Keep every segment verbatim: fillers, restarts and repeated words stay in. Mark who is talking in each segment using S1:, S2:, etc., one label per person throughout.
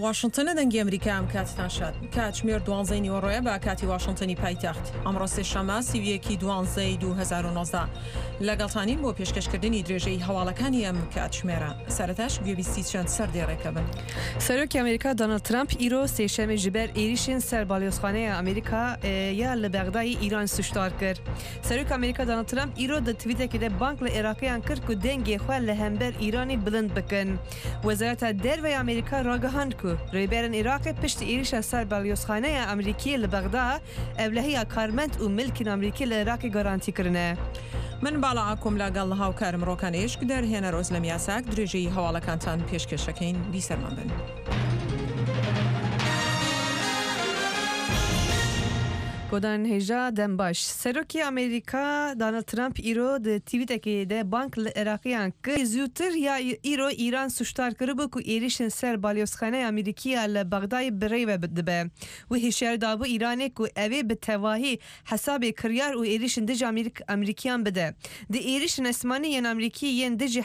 S1: واشنتنە دەنگی ئەمریکا ئەم کاتتان شاد. کاتژمێر دوانزەی نیوەڕۆیە بە کاتی واشنتنی پایتەخت. ئەمڕۆ سێشەممە سی و یەکی دوانزەی دوو هەزار و نۆزدە. لەگەڵتانین بۆ پێشکەشکردنی درێژەی هەواڵەکانی ئەم کاتژمێرە. سەرەتاش گوێبیستی چەند سەردێڕێکە بن.
S2: سەرۆکی ئەمریکا دۆناڵد ترەمپ ئیرۆ سێشەمێ ji ber êrişên ser balyozxaneya Amerîka ya li Bexdayê Îran sûcdar kir. Serokê Amerîka Donald Trump îro di tweetekê de bang li Iraqiyan kir ku dengê xwe li hember Îranê bilind bikin. Wezareta Derve ya Amerîka ragihand ku rêberên Iraqê piştî êrişa ser balyozxaneya Amerîkî li Bexda ewlehiya karmend û milkên Amerîkî li Iraqê garantî kirine.
S1: من باڵا ئاکۆم لەگەڵ هاوکارم ڕۆکان ئێشک دەرهێنەر ئۆزلەم یاساک درێژەی هەواڵەکانتان پێشکەشەکەین بیسەرمان بن.
S2: گۆدان هێژا دەم باش. سەرۆکی ئەمریکا دۆناڵد ترەمپ ئیرۆ di tweetekê de bank li Iraqiyan kir zûtir ya îro Îran sûcdar kiribû ku êrişên ser balyozxaneya Amerîkî ya li Bexdayê birêve dibe. Wî hişyar dabû Îranê ku ew ê bi tevahî hesabê kiryar û êrişên dijî Amerîkiyan bide. Di êrişên esmanî yên Amerîkî yên dijî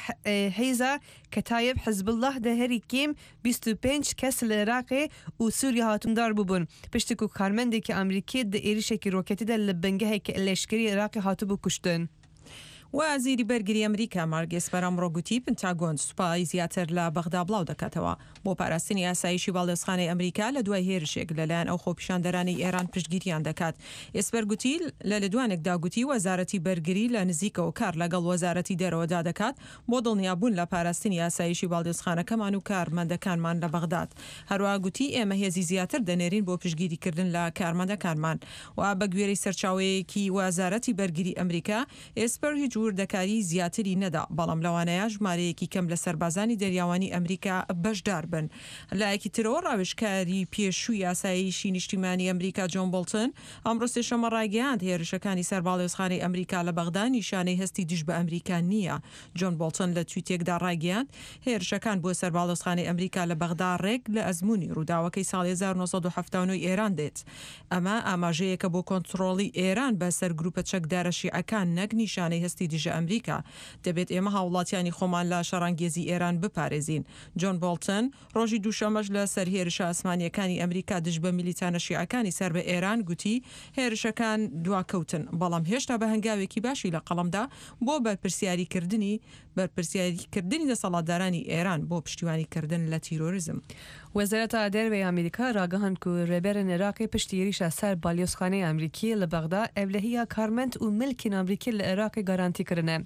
S2: hêza Ketayeb Hizbullah de herî kêm bîst û pênc kes li Iraqê û Sûriye hatindar bûbûn. Piştî ku karmendekî Amerîkî di êrişekî roketî de li bingeheke leşkerî Iraqê hatibû kuştin.
S1: وەزیری بەرگری ئەمریکا مارک ئێسپەر ئەمڕۆ گوتی پنتاگۆن سوپای زیاتر لە بەغدا بڵاو دەکاتەوە بۆ پاراستنی ئاسایشی باڵیۆزخانەی ئەمریکا لە دوای هێرشێک لەلایەن ئەو خۆپیشاندەرانی ئێران پشتگیریان دەکات. ئێسپەر گوتی لە لێدوانێکدا گوتی وەزارەتی بەرگری لە نزیکەوە کار لەگەڵ وەزارەتی دەرەوەدا دەکات بۆ دڵنیابوون لە پاراستنی ئاسایشی باڵیۆزخانەکەمان و کارمەندەکانمان لە بەغداد. هەروەها گوتی ئێمە هێزی زیاتر دەنێرین بۆ پشتگیریکردن لە کارمەندەکانمان و بە گوێرەی سەرچاوەیەکی وەزارەتی بەرگری ئەمریکا ئێسپەر هیچ وردەکاری زیاتری نەدا، بەڵام لەوانەیە ژمارەیەکی کەم لە سەربازانی دەریاوانی ئەمریکا بەشدار بن. لایەکی ترەوە ڕاوێژکاری پێشووی ئاسایشی نیشتیمانی ئەمریکا جۆن بۆڵتن ئەمڕۆ سێشەممە ڕایگەیاند هێرشەکانی سەر باڵیۆزخانەی ئەمریکا لە بەغدا نیشانەی هەستی دژ بە ئەمریکا نییە. جۆن بۆڵتن لە تویتێکدا ڕایگەیاند هێرشەکان بۆ سەر باڵیۆزخانەی ئەمریکا لە بەغدا ڕێک لە ئەزمموی ڕووداوەکەی ساڵی هەزار و نۆ سەد و حەفتا و نۆ ئێران دێت. ئەمە ئاماژەیەکە بۆ کۆنترۆڵی ئێران بەسەر گروپە چەکدارە شیعەکان نەک نیشانەی هەستی دژە ئەمریکا. دەبێت ئێمە هاوڵاتیانی خۆمان لە شەڕانگێزی ئێران بپارێزین. جۆن بۆڵتن ڕۆژی دووشەمەش لە سەر هێرشە ئاسمانیەکانی ئەمریکا دژ بە میلیتانە شیعەکانی سەر بە ئێران گوتی هێرشەکان دواکەوتن، بەڵام هێشتا بە هەنگاوێکی باشی لە قەڵەمدا بۆ بەرپرسیاریکردنی بەرپرسیاریکردنی دەسەڵاتدارانی ئێران بۆ پشتیوانیکردن لە تیرۆریزم.
S2: وەزارەتا دەرەوەی ئەمریکا ڕاگەهاند ku rêberên Iraqê piştî êrişa ser balyozxaneya Amerîkî li Bexda ewlehiya karmend û milkên Amerîkî li Iraqê garantî kirine.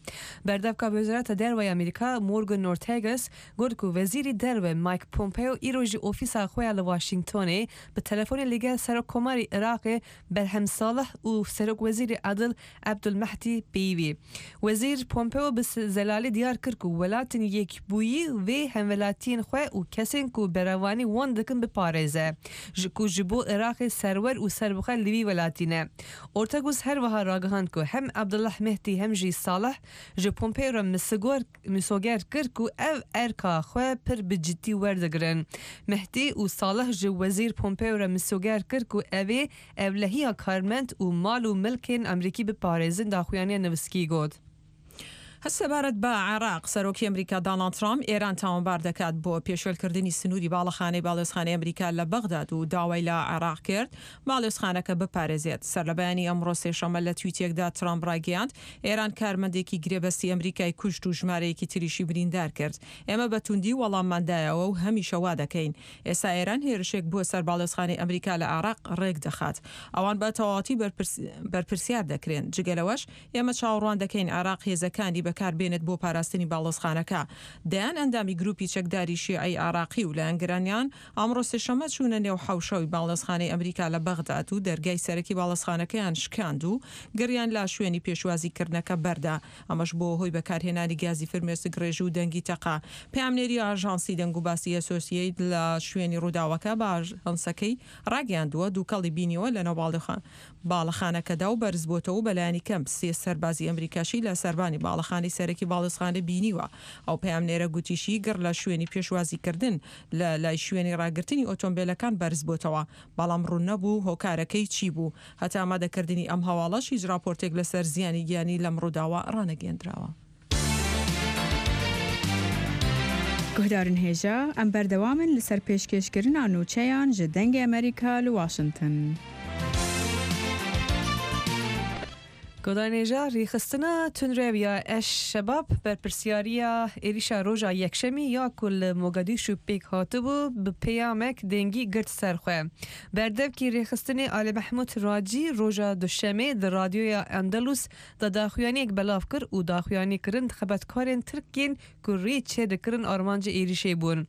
S2: Berdevka Wezareta Derve Amerîka Morgan Ortagus got ku Wezîrê Derve Mike Pompeo îro ji ofîsa xwe ya li Washingtonê bi telefonê li gel Serokkomarê Iraqê Berhem Salih û Serokwezîrê Adil Ebdulmehdî pêwî. Wezîr Pompeo bi zelalî diyar kir ku welatên yekbûyî vê hemwelatiyên xwe û kesên ku berevanî wan dikin biparêze ji ku ji bo Iraqê serwer û serbixwe li wî welatî ne. Ortagus her wiha ragihand ku hem Ebdullah Mehdî hem jî Salih ji Pompeo re misoger kir ku ev erka xwe pir bi cidî werdigirin. Mehdî û Salih ji Wezîr Pompeo re misoger kir ku ew ê ewlehiya karmend û mal û milkên Amerîkî biparêzin daxuyaniya nivîskî got.
S1: سەبارەت بە عێراق سەرۆکی ئەمریکا دۆناڵد ترامپ ئێران تاوانبار دەکات بۆ پێشێلکردنی سنووری باڵەخانەی باڵیۆزخانەی ئەمریکا لە بەغداد و داوای لە عێراق کرد باڵیۆزخانەکە بپارێزێت. سەر لە بەیانی ئەمڕۆ سێشەممە لە تویتێکدا ترامپ ڕایگەیاند ئێران کارمەندێکی گرێبەستی ئەمریکای کوشت و ژمارەیەکی تریشی بریندار کرد. ئێمە بە توندی وەڵامماندایەوە و هەمیشە وا دەکەین. ئێستا ئێران هێرشێک بۆ سەر باڵیۆزخانەی ئەمریکا لە عێراق ڕێک دەخات. ئەوان بە تەواوەتی بەرپرسیار دەکرێن. جگە لەوەش ئێمە چاوەڕوان دەکەین عێراق هێزەکانی بەکار بێنێت بۆ پاراستنی باڵیۆزخانەکە. دەیان ئەندامی گروپی چەکداری شیعەی عێراقی و لایەنگرانیان ئەمڕۆ سێشەممە چوونە نێو حەوشەوی باڵیۆزخانەی ئەمریکا لە بەغداد و دەرگای سەرەکی باڵیۆزخانەکەیان شکاند و گڕیان لە شوێنی پێشوازیکردنەکە بەردا. ئەمەش بۆ هۆی بەکارهێنانی گازی فرمێسک ڕێژ و دەنگی تەقا. پەیامنێری ئاژانسی دەنگوباسی ئەسۆسیەیت لە شوێنی ڕووداوەکە بە ئاژانسەکەی ڕاگەیاندووە دووکەڵی بینیوە لەناو باڵەخانەکەدا و بەرز بۆتەوە بەلایەنی کەم سێ سەربازی ئەمریکاشی لە سەربانی باڵەخانەی سەرەکی باڵیۆزخانە بینیوە. ئەو پەیامنێرە گوتیشی گڕ لە شوێنی پێشوازیکردن لە لای شوێنی ڕاگرتنی ئۆتۆمبیلەکان بەرز بۆتەوە، بەڵام ڕوون نەبوو هۆکارەکەی چی بوو. هەتا ئامادەکردنی ئەم هەواڵەش هیچ راپۆرتێک لەسەر زیانی گیانی لەم ڕووداوە ڕانەگەیەندراوە.
S3: Guhdarên hêja em berdewam in li ser pêşkêşkirina nûçeyan ji Dengê Amerîka li Washington.
S2: Guhdarên hêja rêxistina tundrew ya Eş Şebab berpirsyariya êrişa roja Yekşemî ya ku li Mogadîşu pêk hatibû bi peyamek dengî girt ser xwe. Berdevkê rêxistinê Ali Mehmûd Racî roja Duşemê di radyoya Endalus da daxuyaniyek belav kir û daxuyanî kirin xebatkarên Tirkên ku rê çêdikirin armancê êrişê bûn.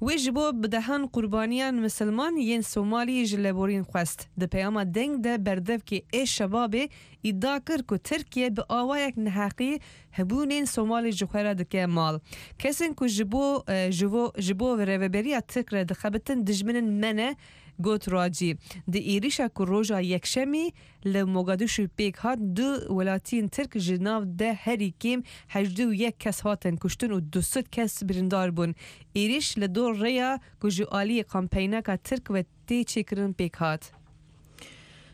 S2: Wê ji bo bi dehan qurbaniyan Misilman yên Somalî ji leborîn xwest. Di peyama deng de berdevkê Eş Şebabê îdia kir ku Tirkiye bi awayek neheqî hebûnên Somalî ji xwe re dike mal. Kesên ku ji bo ji bo ji bo rêveberiya Tirk re dixebitin dijminên me ne got Racî. Di êrişa ku roja Yekşemî li Mogadîşu pêk hat du welatiyên Tirk ji nav de herî kêm hejdeh û yek kes hatin kuştin û du sed kes birîndar bûn. Êriş li dor rêya ku ji aliyê kampeyneka Tirk ve tê çêkirin pêk hat.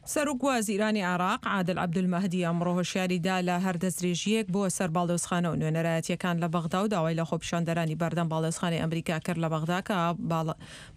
S1: سەرۆک وەزیرانی عێراق عادل عەبدولمەهدی ئەمڕۆ هۆشیاری دا لە هەر دەستدرێژیەک بۆ سەر باڵیۆزخانە و نوێنەرایەتیەکان لە بەغدا و داوای لە خۆپیشاندەرانی بەردەم باڵیۆزخانەی ئەمریکا کرد لە بەغدا کە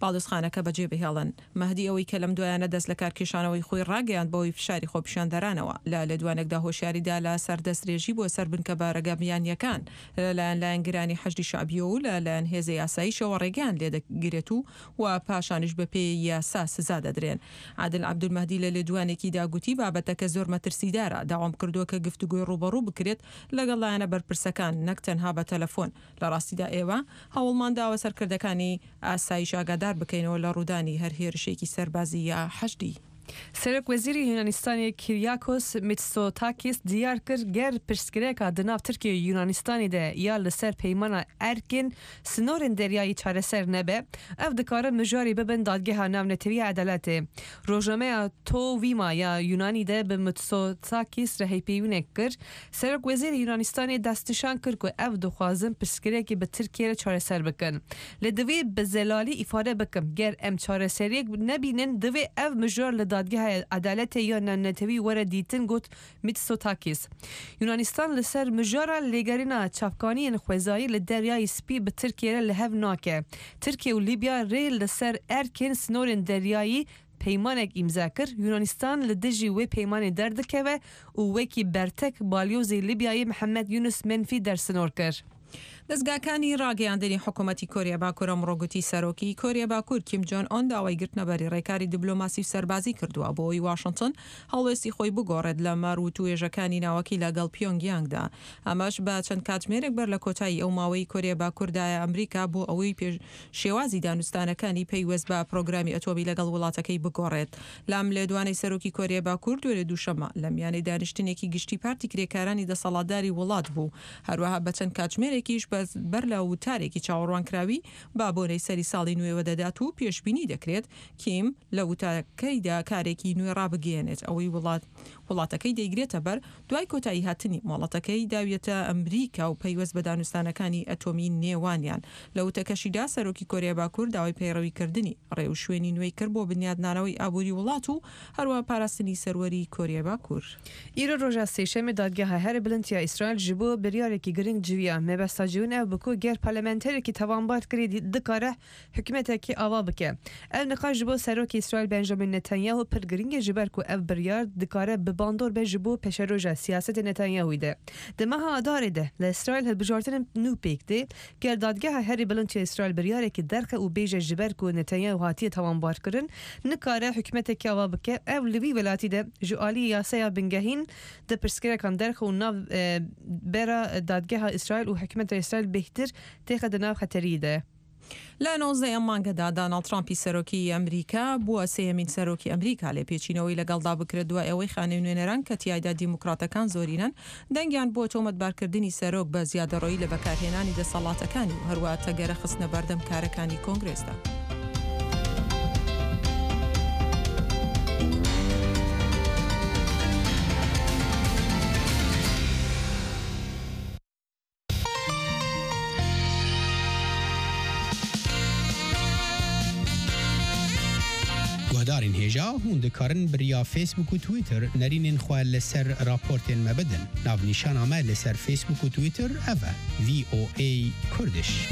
S1: باڵیۆزخانەکە بەجێ بهێڵن. مەهدی ئەوەی کە لەم دوایانە دەست لە کارکێشانەوەی خۆی ڕاگەیاند بەهۆی فشاری خۆپیشاندەرانەوە لە لێدوانێکدا هۆشیاری دا لە سەر دەستدرێژی بۆ سەر بنکە بارەگا بیانیەکان لەلایەن لایەنگرانی حەشدی شەعبیەوە و لەلایەن هێزە یاساییشەوە ڕێگەیان لێدەگرێت و و پاشانیش بەپێی یاسا سزا دەدرێن. عادل عەبدولمەهدی لە لێدوانێکیدا گوتی بابەتەکە زۆر مەترسیدارە، داوام کردووە کە گفتوگۆی ڕووبەڕوو بکرێت لەگەڵ لایەنە بەرپرسەکان نەک تەنها بە تەلەفۆن. لە ڕاستیدا ئێوە هەوڵمان داوە سەرکردەکانی ئاسایش ئاگادار بکەینەوە لە ڕوودانی هەر هێرشێکی سەربازی یا حەشدی.
S2: سەرۆک وەزیری Yunanistanê Kyriakos Mitsotakis diyar kir ger pirsgirêka di nav Tirkiye û Yunanistanê de ya li ser peymana erkên sinorên deryayî çareser nebe, ev dikarin mijarê bibin dadgeha navnetewî edaletê. Rojnameya To Vima ya Yunanî de bi Mitsotakis re hevpeyvînek kir. Serok wezîrê Yunanistanê destnîşan kir ku ev dixwazin pirsgirêkê bi Tirkiyê re çareser bikin. Lê divê bi zelalî îfade bikim ger em çareseriyek nebînin divê ev mijar li dadgeha edaletê ya navnetewî were dîtin got Mitsotakis. Yunanistan li ser mijara lêgerîna çavkaniyên xwezayî li Deryayê Spî bi Tirkiyê re li hev nake. Tirkiye û Lîbya rê li ser erkên sinorên deryayî peymanek îmza kir. Yunanistan li dijî wê peymanê derdikeve û wekî bertek balyozê Lîbyayê Mihemed Yunus Menfî dersinor kir.
S1: دەستگاکانی ڕاگەیاندنی حکوومەتی کۆریا باکوور ئەمڕۆ گوتی سەرۆکی کۆریا باکوور کیم جۆن ئۆن داوای گرتنەبەری ڕێکاری دیبلۆماسی و سەربازی کردووە بۆ ئەوەی واشنگتن هەڵوێستی خۆی بگۆڕێت لە مار و توێژەکانی ناوەکی لەگەڵ پیۆنگیانگدا. ئەمەش بە چەند کاتژمێرێک بەر لە کۆتایی ئەو ماوەی کۆریا باکووردایە ئەمریکا بۆ ئەوەی شێوازی دانوستانەکانی پەیوەست بە پرۆگرامی ئەتۆمی لەگەڵ وڵاتەکەی بگۆڕێت. لام لێدوانەی سەرۆکی کۆریا باکوور دوێنێ دووشەممە لە میانەی دانیشتنێکی گشتی پارتی کرێکارانی دەسەڵاتداری وڵات بوو. هەروەها بە چەند کاتژمێرێکیش بەر لە وتارێکی چاوەڕوانکراوی با بۆنەی سەری ساڵی نوێوە دەدات و پێشبینی دەکرێت کیم لە وتارەکەیدا کارێکی نوێ ڕابگەیەنێت ئەوەی وڵات وڵاتەکەی دەیگرێتە بەر دوای کۆتایی هاتنی ماڵەتەکەی داویەتە ئەمریکا و پەیوەست بە دانوستانەکانی ئەتۆمی نێوانیان. لە وتەکەشیدا سەرۆکی کۆریا باکوور داوای پەیڕەویکردنی ڕێوشوێنی نوێی کرد بۆ بنیادنانەوەی ئابووری وڵات و هەروەها پاراستنی سەروەری کۆریا باکوور.
S2: ئیرۆ ڕۆژا سێشەمê dadgeha herî bilind ya İsraîl ji bo biryarekî giring civiya. Mebesta civîn ew bi ku ger parlamenterekî tawanbar kirî dikare hikûmetekî ava bike. Ev niqaş ji bo serokê İsraîl Benjamin Netanyahu pir giring e ji ber ku ev biryar dikare bi bandor be ji bo pêşeroja siyasetê Netanyahu'yê de. Di meha Adarê de li İsraîl hilbijartinên nû pêk tê, ger dadgeha herî bilind ya İsraîl biryarekî derxe û bêje ji ber ku Netanyahu hatiye tawanbarkirin nikare hikûmetekî ava bike. Ev li wî welatî de ji aliyê yasaya bingehîn di pirsgirêkan derxe û nav bera dadgeha İsraîl û hikûmeta İsraîl bêhtir têxe di nav xeteriyê de.
S1: لە نۆزدەیەم مانگەدا داناڵد ترامپی سەرۆکی ئەمریکا بووە سێیەمین سەرۆکی ئەمریکا لێپێچینەوەی لەگەڵدا بکرێت دوای ئەوەی خانەی نوێنەران کە تیایدا دیموکراتەکان زۆرینەن دەنگیان بۆ تۆمەتبارکردنی سەرۆک بە زیادەڕۆیی لە بەکارهێنانی دەسەڵاتەکانی و هەروەها تەگەرە خستنە بەردەم کارەکانی کۆنگرێسدا.
S4: Guhdarên hêja hûn dikarin bi riya Facebook û Twitter nerînên xwe li ser raportên me bidin. Navnîşana me li ser Facebook û Twitter ev e V O A Kurdish.